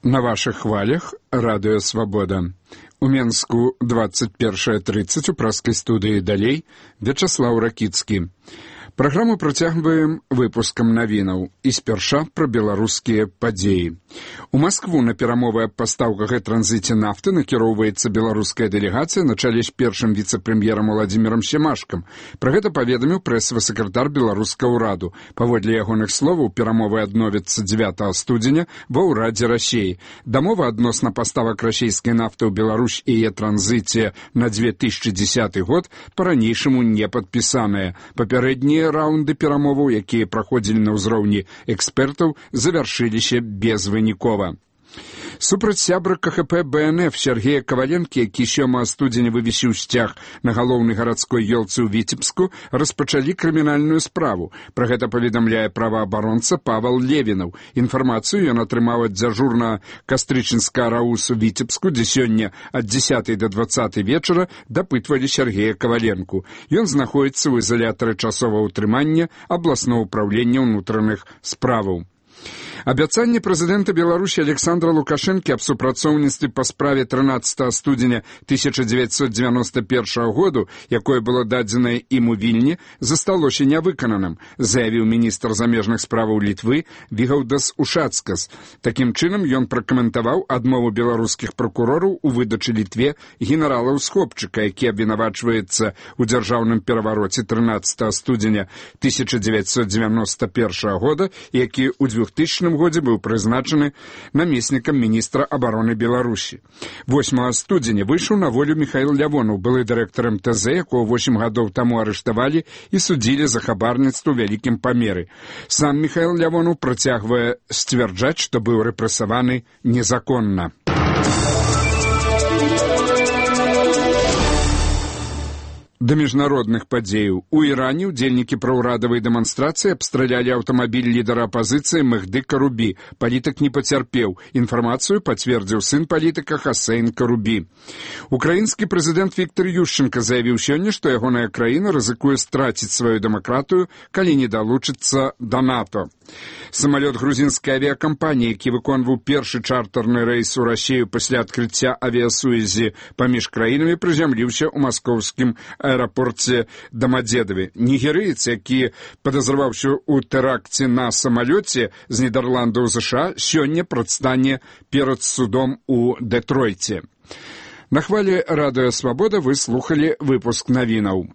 На ваших хвалях радыё «Свабода». У Менску 21:30 у праскай студыі «Далей» Вячаслаў Ракіцкі. Праграму працягваем выпускам навінаў і спярша пра беларускія падзеі. У Маскву на перамовы аб пастаўках і транзіце нафты накіроўваецца беларуская дэлегацыя на чале з першым віцэ-прэм'ерам Уладзімірам Семашкам. Пра гэта паведаміў прэсавы сакратар беларускага ўраду. Паводле ягоных словаў, перамовы адновяцца 9 студзеня ва ўрадзе Расіі. Дамова адносна паставак расійскай нафты ў Беларусь і яе транзіце на 2010 год па-ранейшаму не падпісаная. Папярэднія раунды перамоваў, якія праходзілі на ўзроўні экспертаў, завяршыліся безвынікова. Супраць сябра КХП БНФ Сергея Каваленкі, які 7 студзеня вывесіў сцяг на галоўнай гарадской ёлцы ў Віцебску, распачалі крымінальную справу. Пра гэта паведамляе праваабаронца Павал Левінаў. Інфармацыю ён атрымаў ад дзяжурнага кастрычніцкага РАУС у Віцебску, дзе сёння ад 10 до 20 вечара дапытвалі Сергея Каваленку. Ён знаходзіцца ў изолятары часовага ўтрымання абласнога ўпраўлення ўнутраных справаў. Абяцанне прэзідэнта Беларусі Александра Лукашэнкі аб супрацоўніцтве па справе 13 студзеня 1991 году, якое было дадзенае ім у Вільні, засталося нявыкананым, заявіў міністр замежных справаў Літвы Вігаўдас Ушацкас. Такім чынам ён пракаментаваў адмову беларускіх пракурораў у выдачы Літве генерала Усхопчыка, які абвінавачваецца ў дзяржаўным перавароце 13 студзеня 1991 года, які ў 2000 годзе быў прызначаны намеснікам міністра абароны Беларусі. 8 студзеня выйшаў на волю Міхаіл Лявонаў, былы дырэктар МТЗ, якого 8 гадоў таму арыштавалі і судзілі за хабарніцтва ў вялікім памеры. Сам Міхаіл Лявонаў працягвае сцвярджаць, што быў рэпрэсаваны незаконна. Да міжнародных падзеяў. У Іране ўдзельнікі праўрадавай дэманстрацыі абстралялі аўтамабіль лідара апазіцыі Мехды Карубі. Палітык не пацярпеў. Інфармацыю пацвердзіў сын палітыка Хасейн Карубі. Украінскі прэзідэнт Віктор Ющенка заявіў сёння, што ягоная краіна рызыкуе страціць сваю дэмакратыю, калі не далучыцца да НАТО. Самалёт грузінскай авіякампаніі, які выконваў першы чартарны рэйс у Расію пасля адкрыцця авіасувязі паміж краінамі, прызямліўся ў маскоўскім аэрапорце Дамадзедаве. Нігерыец, які падазраваўся ў тэракце на самалёце з Нідерландаў США, сёння прадстане перад судом у Дэтройце. На хвалі радыё «Свабода» вы слухалі выпуск навінаў.